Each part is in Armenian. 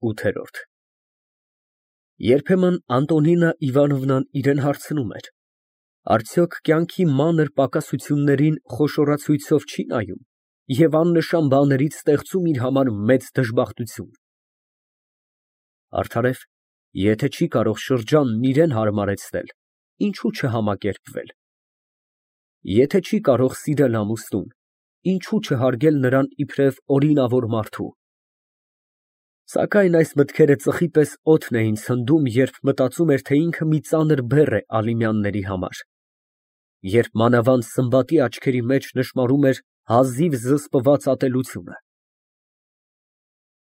ՈՒԹԵՐՈՐԴ Երբեմն Անտոնինա Իվանովնան իրան հարցնում էր. արդյոք կյանքի մանր պակասություններին խոշորացույցով չի նայում և աննշան բաներից ստեղծում իր համար մեծ դժբախտություն։ Արդարև, եթե չի կարող շրջանն իրան հարմարեցնել, ինչո՞ւ չհամակերպվել։ Եթե չի կարող սիրել ամուսնուն, ինչո՞ւ չհարգել նրան իբրև օրինավոր մարդու։ Սակայն այս մտքերը ծխի պես օդն էին ցնդում, երբ մտածում էր, թե ինքը մի ծանր բեռ է Ալինյանների համար, երբ մանավանդ Սմբատի աչքերի մեջ նշմարում էր հազիվ զսպված ատելությունը։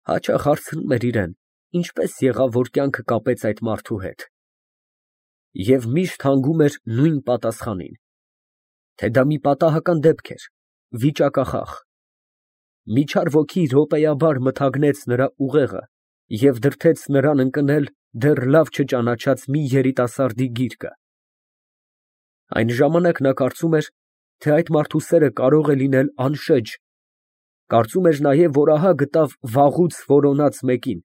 Հաճախ հարցնում էր իրան, ինչպես եղավ, որ կյանքը կապեց այդ մարդու հետ, և միշտ հանգում էր նույն պատասխանին, թե դա մի պատահական դեպք էր, վիճակախախ։ Միջար ոգի րոպեաբար մթագնեց նրա ուղեղը և դրդեց նրան ընկնել դեռ լավ չճանաչած մի երիտասարդի գիրկը։ Այն ժամանակ նա կարծում էր, թե այդ մարդու սերը կարող է լինել անշեջ, կարծում էր նաև, որ ահա գտավ վաղուց որոնած մեկին,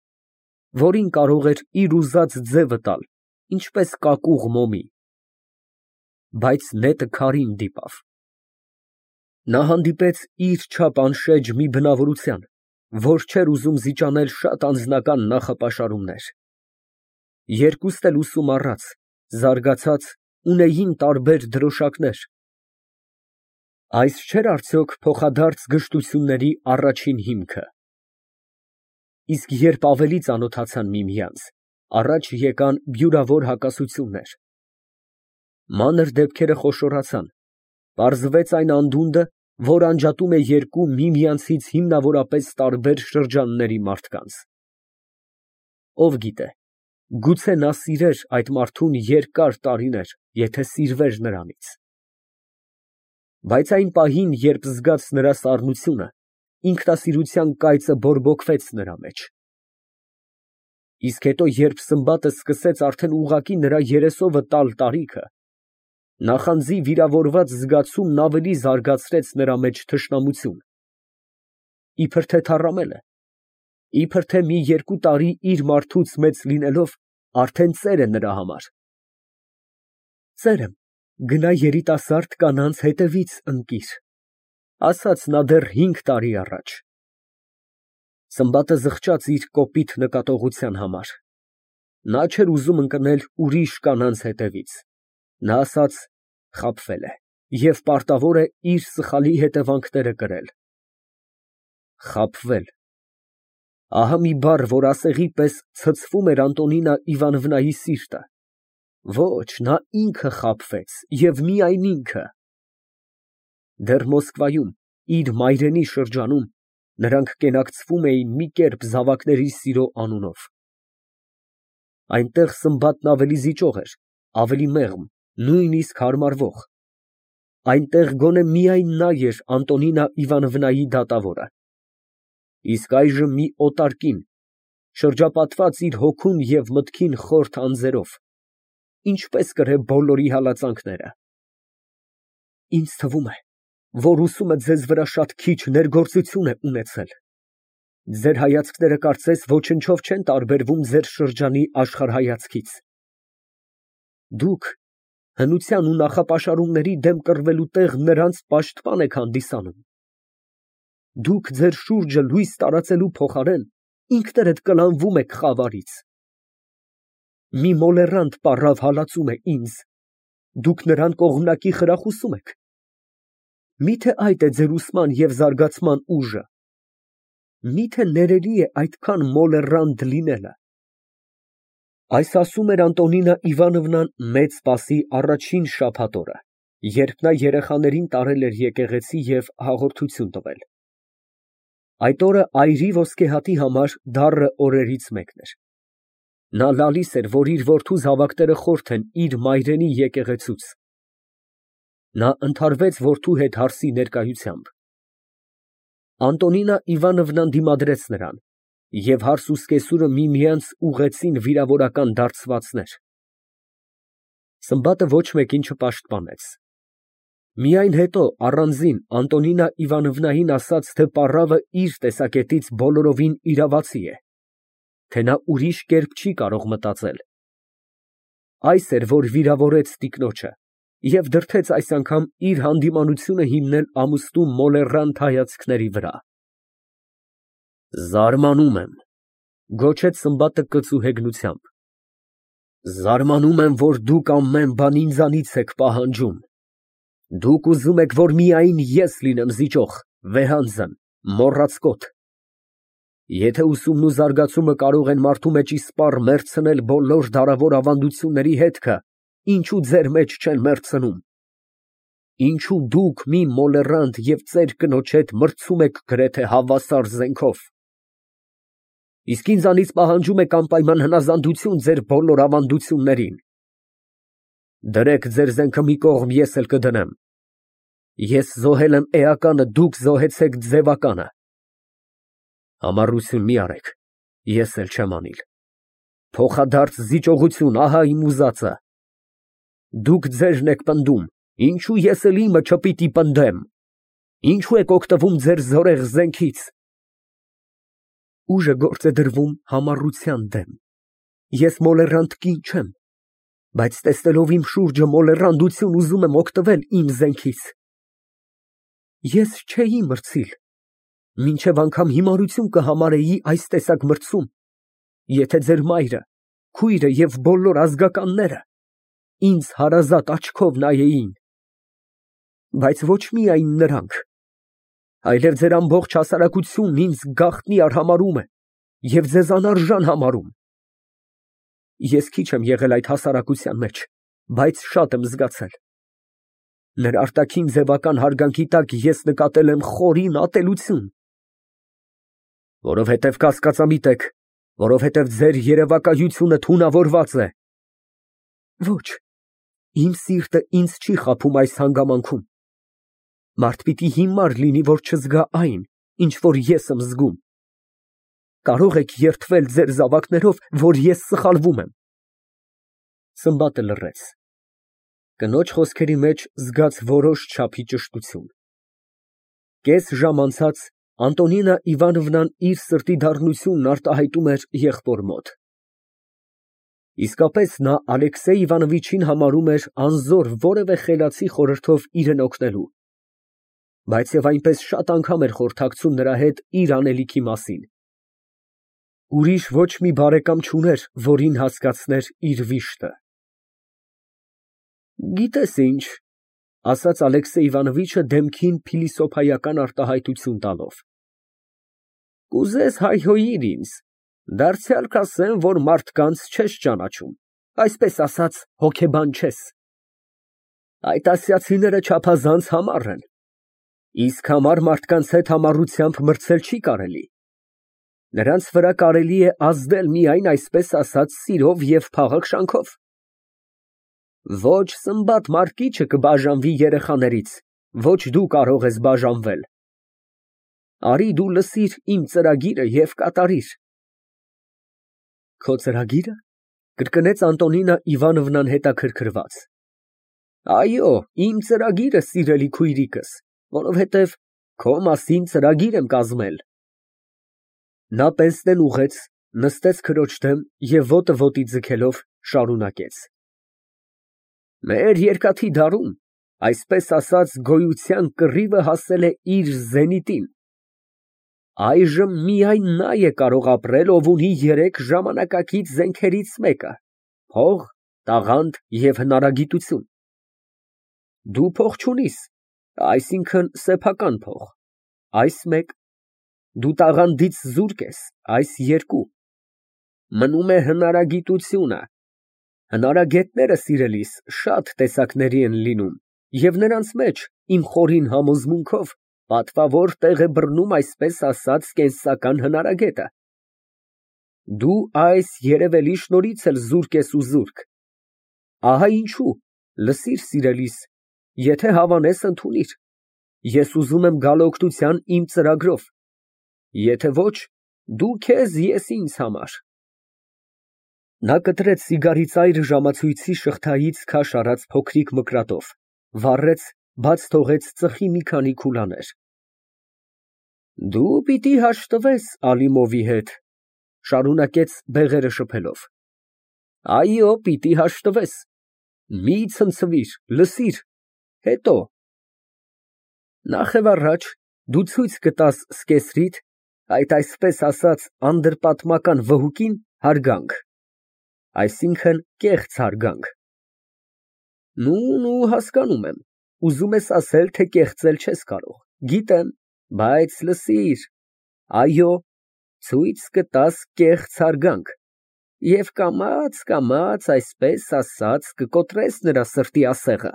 որին կարող էր իր ուզած ձևը տալ, ինչպես կակուղ մոմի։ Բայց նետը քարին դիպավ։ Նա հանդիպեց իր չափ անշեջ մի բնավորության, որ չէր ուզում զիջանել շատ անձնական նախապաշարումներ։ Երկուստ էլ ուսում առած, զարգացած, ունեին տարբեր դրոշակներ։ Այս չէր արդյոք փոխադարձ գժտությունների առաջին հիմքը։ Իսկ երբ ավելի ծանոթացան միմյանց, առաջ եկան բյուրավոր հակասություններ։ Մանր դեպքերը խոշորացան, պարզվեց այն անդունդը, որ անջատում է երկու միմյանցից հիմնավորապես տարբեր շրջանների մարդկանց։ Ով գիտե, գուցե նա սիրեր այդ մարդուն երկար տարիներ, եթե սիրվեր նրանից։ Բայց այն պահին, երբ զգաց նրա սառնությունը, ինքնասիրության կայծը բորբոքվեց նրա մեջ։ Իսկ հետո, երբ Սմբատը սկսեց արդեն ուղղակի նրա երեսովը տալ տարիքը, նախանձի վիրավորված զգացումն ավելի զարգացրեց նրա մեջ թշնամություն։ Իբր թե թառամել է, իբր թե մի երկու տարի իր մարդուց մեծ լինելով, արդեն ծեր է նրա համար։ Ծեր եմ, գնա երիտասարդ կանանց հետևից ընկիր, ասաց նա դեռ 5 տարի առաջ։ Սմբատը զղջաց իր կոպիտ նկատողության համար։ Նա չէր ուզում ընկնել ուրիշ կանանց հետևից։ Նա ասաց, խաբվել է և պարտավոր է իր սխալի հետևանքները կրել։ Խաբվել։ Ահա մի բառ, որ ասեղի պես ցցվում էր Անտոնինա Իվանովնայի սիրտը։ Ոչ, նա ինքը խաբվեց և միայն ինքը։ Դեռ Մոսկվայում, իր մայրենի շրջանում, նրանք կենակցվում էին մի կերպ զավակների սիրո անունով։ Այնտեղ Սմբատն ավելի զիջող էր, ավելի մեղմ, նույնիսկ հարմարվող։ Այնտեղ գոնե միայն նա էր Անտոնինա Իվանովնայի դատավորը։ Իսկ այժմ մի օտար կին, շրջապատված իր հոգուն և մտքին խորթ անձերով, ինչպես կրե բոլորի հալածանքները։ Ինձ թվում է, որ ուսումը ձեզ վրա շատ քիչ ներգործություն է ունեցել։ Ձեր հայացքները կարծես ոչնչով չեն տարբերվում ձեր շրջանի աշխարհայացքից։ Դուք հնության ու նախապաշարումների դեմ կռվելու տեղ նրանց պաշտպան եք հանդիսանում։ Դուք ձեր շուրջը լույս տարածելու փոխարեն ինքներդ կլանվում եք խավարից։ Մի մոլեռանդ պառավ հալածում է ինձ, դուք նրան կողմնակի խրախուսում եք։ Մի՞թե այդ է ձեր ուսման և զարգացման ուժը։ Մի՞թե ներելի է այդքան մոլեռանդ լինելը։ Այս ասում էր Անտոնինա Իվանովնան մեծ Սպասի առաջին շաբաթ օրը, երբ նա երեխաներին տարել էր եկեղեցի և հաղորդություն տվել։ Այդ օրը այրի ոսկեհատի համար դառը օրերից մեկն էր։ Նա լալիս էր, որ իր որդու զավակները խորթ են իր մայրենի եկեղեցուց։ Նա ընդհարվեց որդու հետ հարսի ներկայությամբ։ Անտոնինա Իվանովնան դիմադրեց նրան, և հարս ու սկեսուրը միմյանց ուղղեցին վիրավորական դարձվածներ։ Սմբատը ոչ մեկին չպաշտպանեց։ Միայն հետո առանձին Անտոնինա Իվանովնային ասաց, թե պառավը իր տեսակետից բոլորովին իրավացի է, թե նա ուրիշ կերպ չի կարող մտածել։ Այս էր, որ վիրավորեց տիկնոջը և դրդեց այս անգամ իր հանդիմանությունը հիմնել ամուստու մոլեռանդ հայացքների վրա։ Զարմանում եմ, գոչեց Սմբատը կծու հեգնությամբ, զարմանում եմ, որ դուք ամեն բան ինձանից եք պահանջում։ Դուք ուզում եք, որ միայն ես լինեմ զիջող, վեհանձն, մոռացկոտ։ Եթե ուսումն ու զարգացումը կարող են մարդու մեջ իսպառ մեռցնել բոլոր դարավոր ավանդությունների հետքը, ինչու ձեր մեջ չեն մեռցնում։ Ինչու դուք մի մոլեռանդ և ծեր կնոջ հետ մրցում եք գրեթե հավասար զենքով։ Իսկ ինձանից պահանջում եք անպայման հնազանդություն ձեր բոլոր ավանդություններին։ Դրեք ձեր զենքը մի կողմ, ես էլ կդնեմ։ Ես զոհել եմ էականը, դուք զոհեցեք ձևականը։ Համառություն մի արեք, ես էլ չեմ անիլ։ Փոխադարձ զիջողություն, ահա իմ ուզածը։ Դուք ձերն եք պնդում, ինչու ես էլ իմը չպիտի պնդեմ։ Ինչու եք օգտվում ձեր զորեղ զենքից։ Ուժը գործ է դրվում համառության դեմ։ Ես մոլեռանդ կին չեմ, բայց տեսնելով իմ շուրջը մոլեռանդություն ուզում եմ օգտվել իմ զենքից։ Ես չէի մրցիլ, մինչև անգամ հիմարություն կհամարեի այս տեսակ մրցում, եթե ձեր մայրը, քույրը և բոլոր ազգականները ինձ հարազատ աչքով նայեին։ Բայց ոչ միայն նրանք, այլև ձեր ամբողջ հասարակությունն ինձ գաղտնի արհամարհում է և ձեզ անարժան համարում։ Ես քիչ եմ եղել այդ հասարակության մեջ, բայց շատ եմ զգացել։ Նրա արտաքին ձևական հարգանքի տակ ես նկատել եմ խորին ատելություն։ Որովհետև կասկածամիտ եք, որովհետև ձեր երևակայությունը թունավորված է։ Ոչ, իմ սիրտը ինձ չի խաբում այս հանգամանքում։ Մարդ պիտի հիմար լինի, որ չզգա այն, ինչ որ ես եմ զգում։ Կարող եք երդվել ձեր զավակներով, որ ես սխալվում եմ։ Սմբատը լռեց։ Կնոջ խոսքերի մեջ զգաց որոշ չափի ճշտություն։ Կես ժամ անցած Անտոնինա Իվանովնան իր սրտի դառնությունն արտահայտում էր եղբոր մոտ։ Իսկապես նա Ալեքսեյ Իվանովիչին համարում էր անզոր որևէ խելացի խորհրդով իրեն օգնելու, բայց և այնպես շատ անգամ էր խորհրդակցում նրա հետ իր անելիքի մասին։ Ուրիշ ոչ մի բարեկամ չուներ, որին հասկացներ իր վիշտը։ Գիտես ինչ, ասաց Ալեքսեյ Իվանովիչը դեմքին փիլիսոփայական արտահայտություն տալով, կուզես հայհոյիր ինձ, դարձյալ կասեմ, որ մարդկանց չես ճանաչում, այսպես ասած, հոգեբան չես։ Այդ ասիացիները չափազանց համառ են, իսկ համառ մարդկանց հետ համառությամբ մրցել չի կարելի։ Նրանց վրա կարելի է ազդել միայն այսպես ասած սիրով և փաղաքշանքով։ Ոչ Սմբատ Մարկիչը կբաժանվի երեխաներից, ոչ դու կարող ես բաժանվել։ Արի դու լսիր իմ ծրագիրը և կատարիր։ Քո ծրագի՞րը, կրկնեց Անտոնինա Իվանովնան հետաքրքրված։ Այո, իմ ծրագիրը, սիրելի քույրիկս, որովհետև քո մասին ծրագիր եմ կազմել։ Նա պենսնեն ուղղեց, նստեց քրոջ դեմ և ոտը ոտի ձգելով շարունակեց. Մեր երկաթի դարում, այսպես ասած, գոյության կռիվը հասել է իր զենիտին։ Այժմ միայն նա է կարող ապրել, ով ունի երեք ժամանակակից զենքերից մեկը՝ փող, տաղանդ և հնարագիտություն։ Դու փող չունիս, այսինքն սեփական փող, այս մեկ, դու տաղանդից զուրկ ես, այս երկու։ Մնում է հնարագիտությունը։ Հնարագետները, սիրելիս, շատ տեսակների են լինում, և նրանց մեջ, իմ խորին համոզմունքով, պատվավոր տեղ է բռնում այսպես ասած կենսական հնարագետը։ Դու այս երևելի շնորհից էլ զուրկ ես ու զուրկ։ Ահա ինչու, լսիր, սիրելիս, եթե հավանես, ընդունիր, ես ուզում եմ գալ օգնության իմ ծրագրով, եթե ոչ, դու քեզ, ես ինձ համար։ Նա կտրեց սիգարի ծայրը ժամացույցի շղթայից քաշ արած փոքրիկ մկրատով, վառեց, բաց թողեց ծխի մի քանի քուլաներ։ Դու պիտի հաշտվես Ալիմովի հետ, Շարունակեց բեղերը շփելով։ Այո, պիտի հաշտվես։ Մի ցնցվիր, լսիր, հետո։ Նախևառաջ դու ցույց կտաս սկեսրիդ, այդ այսպես ասած անդրպատմական վհուկին հարգանք, այսինքն կեղծ հարգանք։ Նու, հասկանում եմ, ուզում ես ասել, թե կեղծել չես կարող, գիտեմ, բայց լսիր, այո, ցույց կտաս կեղծ հարգանք և կամաց, այսպես ասած, կկոտրես նրա սրտի ասեղը։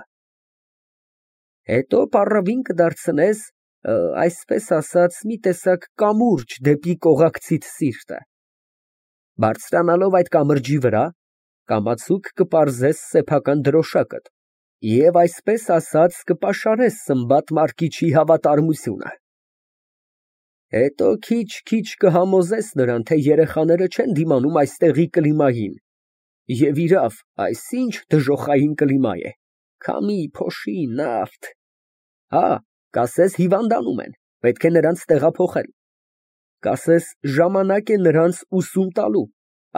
Հետո պառավին կդարձնես, այսպես ասած, մի տեսակ կամուրջ դեպի կողակցիդ սիրտը։ Բարձրանալով այդ կամրջի վրա, կամացուկ կպարզես սեփական դրոշակդ և այսպես ասած կպաշարես Սմբատ Մարկիչի հավատարմությունը։ Հետո քիչ կհամոզես նրան, թե երեխաները չեն դիմանում այստեղի կլիմային, և իրավ, այս ինչ դժոխային կլիմա է, քամի, փոշի, նավթ։ Հա, կասես հիվանդանում են, պետք է նրանց տեղափոխել, կասես ժամանակ է նրանց ուսում տալու,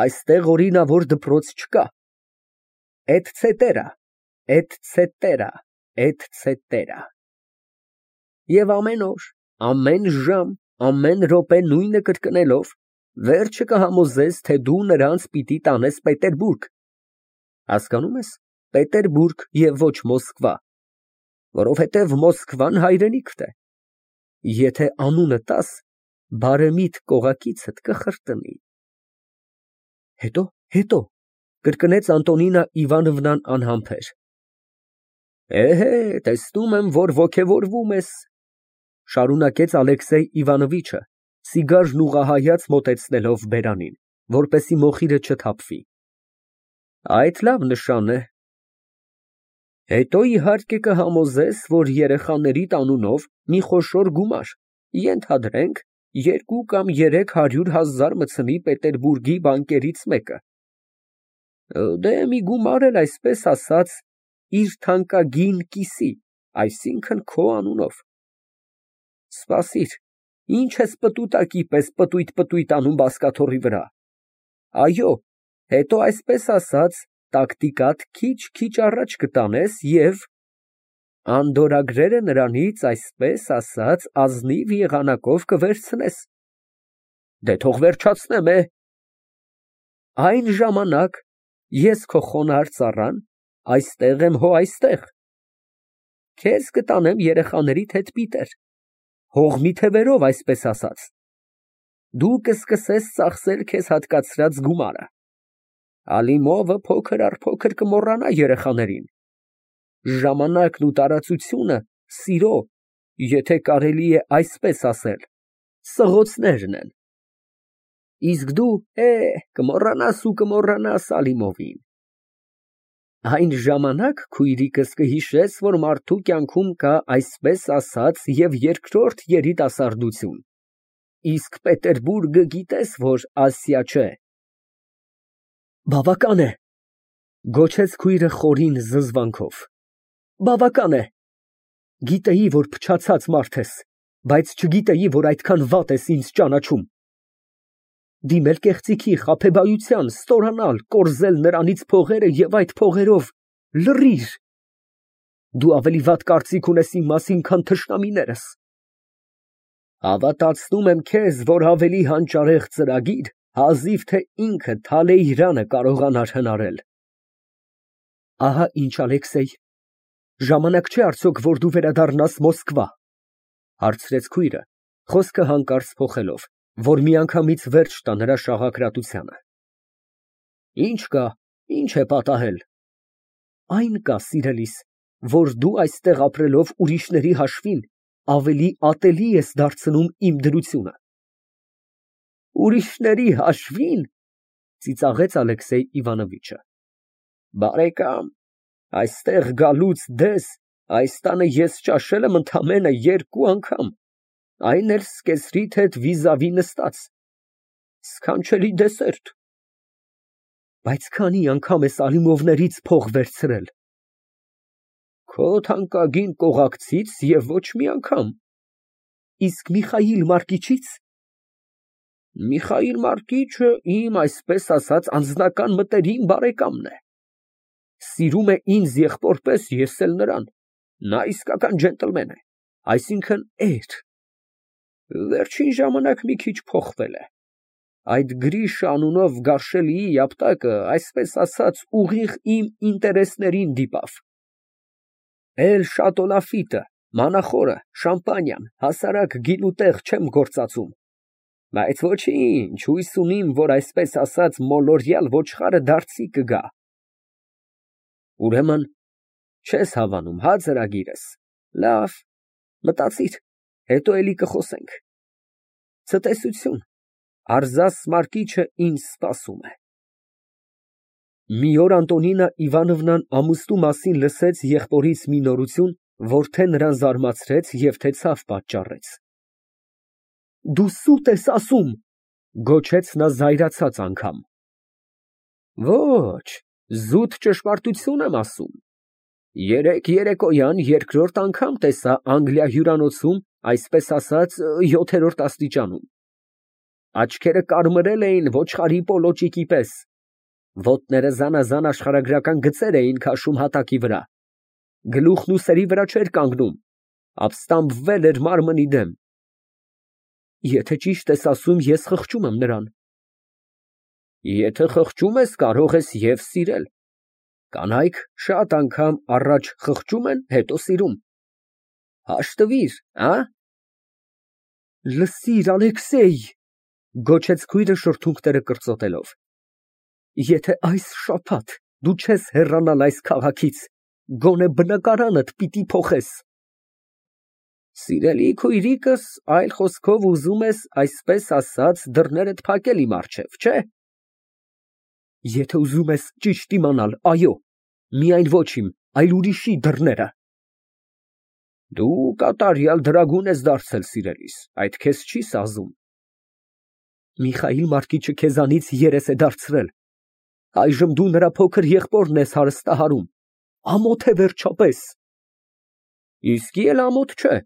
այստեղ օրինավոր դպրոց չկա, էթցետերա։ Եվ ամեն օր, ամեն ժամ, ամեն րոպե նույնը կրկնելով, վերջը կհամոզես, թե դու նրանց պիտի տանես Պետերբուրգ, հասկանում ես, Պետերբուրգ և ոչ Մոսկվա, որովհետև Մոսկվան հայրենիքդ է, եթե անունը տաս, բարեմիտ կողակիցդ կխրտնի։ Հետո, կրկնեց Անտոնինա Իվանովնան անհամբեր։ Տեսնում եմ, որ ոգևորվում ես, շարունակեց Ալեքսեյ Իվանովիչը, սիգարն ուղղահայաց մոտեցնելով բերանին, որպեսզի մոխիրը չթափվի։ Այդ լավ նշան է։ Հետո իհարկե կհամոզես, որ երեխաներիդ անունով մի խոշոր գումար, ենթադրենք 2 կամ 300,000 մտցնի Պետերբուրգի բանկերից մեկը։ Դե մի գումար էլ այսպես ասած իր թանկագին կիսի, այսինքն քո անունով։ Սպասիր, ինչ ես պտուտակի պես պտույտ անում բազկաթոռի վրա։ Այո, հետո այսպես ասած տակտիկատ քիչ առաջ կտանես և անդորրագրերը նրանից այսպես ասած ազնիվ եղանակով կվերցնես։ Դե թող վերջացնեմ։ Այն ժամանակ ես քո խոնարհ ծառան, այստեղ եմ հո այստեղ։ Քեզ կտանեմ երեխաներիդ հետ պիտեր, հողմի թևերով այսպես ասած։ Դու կսկսես ծախսել քեզ հատկացրած գումարը։ Ալիմովը փոքր առ փոքր կմոռանա երեխաներին։ Ժամանակն ու տարածությունը սիրո, եթե կարելի է այսպես ասել, սղոցներն են։ Իսկ դու, կմոռանաս Ալիմովին։ Այն ժամանակ, քույրիկս, կհիշես, որ մարդու կյանքում կա այսպես ասած և երկրորդ երիտասարդություն, իսկ Պետերբուրգը գիտես, որ Ասիա չէ։ Բավական է, գոչեց քույրը խորին զզվանքով։ Բավական է։ Գիտեի, որ փչացած մարդ ես, բայց չգիտեի, որ այդքան վատ ես ինձ ճանաչում։ Դիմել կեղծիքի, խաբեբայության, ստորանալ, կորզել նրանից փողերը և այդ փողերով լռիր։ Դու ավելի վատ կարծիք ունես իմ մասին, քան թշնամիներս։ Հավատացնում եմ քեզ, որ ավելի հանճարեղ ծրագիր հազիվ թե ինքը Թալեյրանը կարողանար հնարել։ Ահա ինչ, Ալեքսեյ, ժամանակ չէ արդյոք, որ դու վերադառնաս Մոսկվա, հարցրեց քույրը, խոսքը հանկարծ փոխելով, որ միանգամից վերջ տա նրա շաղակրատությանը։ Ինչ կա, ինչ է պատահել։ Այն կա, սիրելիս, որ դու այստեղ ապրելով ուրիշների հաշվին ավելի ատելի ես դարձնում իմ դրությունը։ Ուրիշների հաշվին, ծիծաղեց Ալեքսեյ Իվանովիչը։ Բարեկամ, այստեղ գալուց դես այս տանը ես ճաշել եմ ընդամենը 2 անգամ, այն էլ սկեսրիդ հետ վիզավի նստած, սքանչելի դեսերտ։ Բայց քանի անգամ ես Ալիմովներից փող վերցրել։ Քո թանկագին կողակցից և ոչ մի անգամ։ Իսկ Միխայիլ Մարկիչից։ Միխայիլ Մարկիչը իմ, այսպես ասած, անձնական մտերիմ բարեկամն է։ Սիրում է ինձ եղբոր պես, ես էլ նրան։ Նա իսկական ջենտլմեն է, այսինքն՝ էր։ Վերջին ժամանակ մի քիչ փոխվել է։ Այդ Գրիշա անունով գարշելիի ապտակը, այսպես ասած, ուղիղ իմ ինտերեսներին դիպավ։ Շատոլաֆիտը, մանախորը, շամպանիան, հասարակ գինուտեղ չեմ գործածում։ Բայց ոչինչ, հույս ունիմ, որ այսպես ասած մոլորյալ ոչխարը դարձի կգա։ Ուրեմն չես հավանում, հա, ծրագիրս։ Լավ, մտածիր, հետո էլի կխոսենք։ Ցտեսություն, Արզաս Մարկիչը ինձ սպասում է։ Մի օր Անտոնինա Իվանովնան ամուսնու մասին լսեց եղբորից մի նորություն, որ թե նրան զարմացրեց և թե ցավ պատճառեց։ Դու սուտ ես ասում, գոչեց նա զայրացած անգամ։ Ոչ, զուտ ճշմարտություն եմ ասում։ Երեկ երեկոյան երկրորդ անգամ տեսա Անգլիա հյուրանոցում, այսպես ասած, 7-րդ աստիճանում։ Աչքերը կարմրել էին ոչխարի պոլոճիկի պես, ոտները զանազան աշխարհագրական գծեր էին քաշում հատակի վրա, գլուխն ուսերի վրա չէր կանգնում, ապստամբվել էր մարմնի դեմ։ Եթե ճիշտ ես ասում, ես խղճում եմ նրան։ Եթե խղճում ես, կարող ես և սիրել։ Կանայք շատ անգամ առաջ խղճում են, հետո սիրում։ Հաշտվիր, ա՞։ Լսիր, Ալեքսեյ, գոչեց քույրը շրթունքները կրծոտելով, եթե այս շաբաթ դու չես հեռանալ այս քաղաքից, գոնե բնակարանդ պիտի փոխես։ Սիրելի քույրիկս, այլ խոսքով ուզում ես, այսպես ասած, դռներդ փակել իմ առջև, չէ՞։ Եթե ուզում ես ճիշտ իմանալ, այո, միայն ոչ իմ, այլ ուրիշի դռները։ Դու կատարյալ դրագուն ես դարձել, սիրելիս, այդ քեզ չի սազում։ Միխայիլ Մարկիչը քեզանից երես է դարձրել։ Այժմ դու նրա փոքր եղբորն ես հարստահարում։ Ամոթ է վերջապես։ Իսկի էլ ամոթ չէ։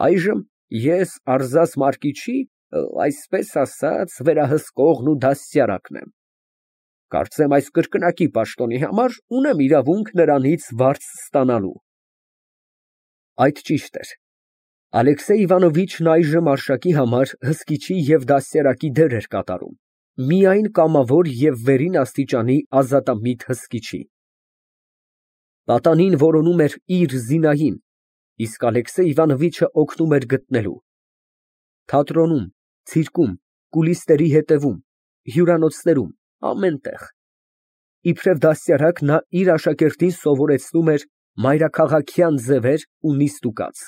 Այժմ ես Արզաս Մարկիչի, այսպես ասած, վերահսկողն ու դաստիարակն եմ։ Կարծեմ այս կրկնակի պաշտոնի համար ունեմ իրավունք նրանից վարձ ստանալու։ Այդ ճիշտ էր։ Ալեքսեյ Իվանովիչն այժմ Արշակի համար հսկիչի և դաստիարակի դեր էր կատարում, միայն կամավոր և վերին աստիճանի ազատամիտ հսկիչի։ Պատանին որոնում էր իր Զինային, իսկ Ալեքսեյ Իվանովիչը օգնում էր գտնելու։ Թատրոնում, ցիրկում, կուլիսների հետևում, հյուրանոցներում, ամեն տեղ։ Իբրև դաստիարակ նա իր աշակերտին սովորեցնում էր մայրաքաղաքյան ձևեր ու նիստուկաց։